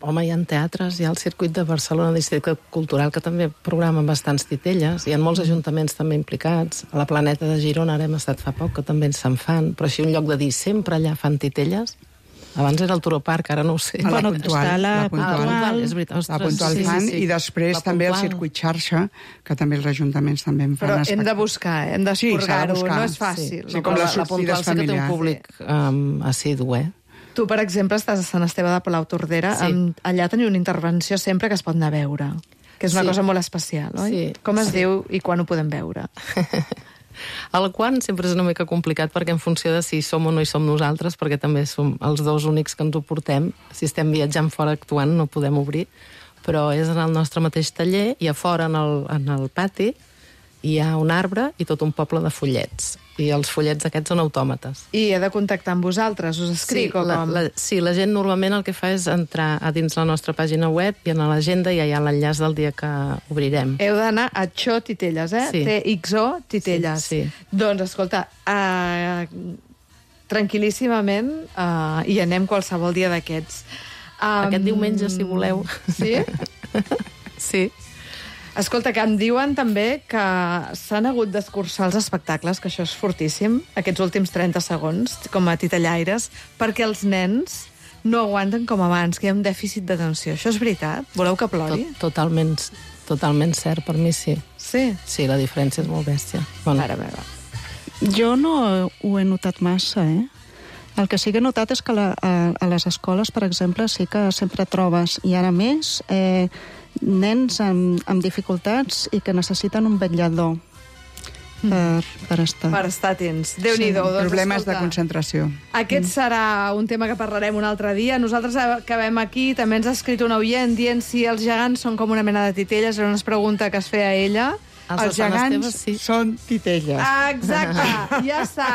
Home, hi ha teatres, hi ha el circuit de Barcelona, districte cultural, que també programa bastants titelles. Hi ha molts ajuntaments també implicats. A la Planeta de Girona ara hem estat fa poc, que també se'n fan. Però així un lloc de dir, sempre allà fan titelles. Abans era el Turoparc, ara no ho sé. A la Puntual. Està la, la Puntual. Ah, puntual. És veritat. Ostres, la Puntual sí, fan, sí, sí. I després la també puntual. El circuit xarxa, que també els ajuntaments també en fan. Però espectacles. hem de buscar, hem d'esporgar-ho, sí, no és fàcil. Sí, sí, com les la Puntual sí que té un públic um, assidu, eh? Tu, per exemple, estàs a Sant Esteve de Palautordera. Sí. Amb, allà teniu una intervenció sempre que es pot anar a veure, que és una sí. cosa molt especial, oi? Sí. Com es sí. diu i quan ho podem veure? El quan sempre és una mica complicat, perquè en funció de si som o no hi som nosaltres, perquè també som els dos únics que ens ho portem. Si estem viatjant fora actuant no podem obrir, però és en el nostre mateix taller i a fora en el, en el pati, hi ha un arbre i tot un poble de follets. I els follets aquests són autòmates. I he de contactar amb vosaltres? Us escric sí, o la, com? La, sí, la gent normalment el que fa és entrar a dins la nostra pàgina web i en l'agenda ja hi ha l'enllaç del dia que obrirem. Heu d'anar a Xo Titelles, eh? Sí. T X O Titelles. Sí, sí. Doncs, escolta, uh, tranquil·líssimament uh, hi anem qualsevol dia d'aquests. Um, Aquest diumenge, si voleu. Sí? Sí. Escolta, que em diuen també que s'han hagut d'escurçar els espectacles, que això és fortíssim, aquests últims trenta segons, com a titellaires, perquè els nens no aguanten com abans, que hi ha un dèficit d'atenció. Això és veritat? Voleu que plori? Tot, totalment, totalment cert, per mi sí. Sí? Sí, la diferència és molt bèstia. Bueno. Ara, meva. Jo no ho he notat massa, eh? El que sí que he notat és que la, a, a les escoles, per exemple, sí que sempre trobes, i ara més, eh, nens amb, amb dificultats i que necessiten un vetllador per, per estar. Per estar atents. Déu-n'hi-do. Sí, Doncs, problemes escolta, de concentració. Aquest serà un tema que parlarem un altre dia. Nosaltres acabem aquí. També ens ha escrit un oient dient si els gegants són com una mena de titelles. Era una pregunta que es feia ella. Els, Els els gegants gegants teves, sí. són titelles. Ah, exacte, ja està.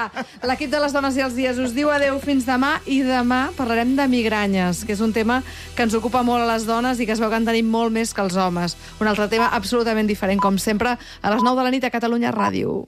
L'equip de les dones i els dies us diu adeu fins demà, i demà parlarem de migranyes, que és un tema que ens ocupa molt a les dones i que es veu que en tenim molt més que els homes. Un altre tema absolutament diferent, com sempre, a les nou de la nit a Catalunya Ràdio.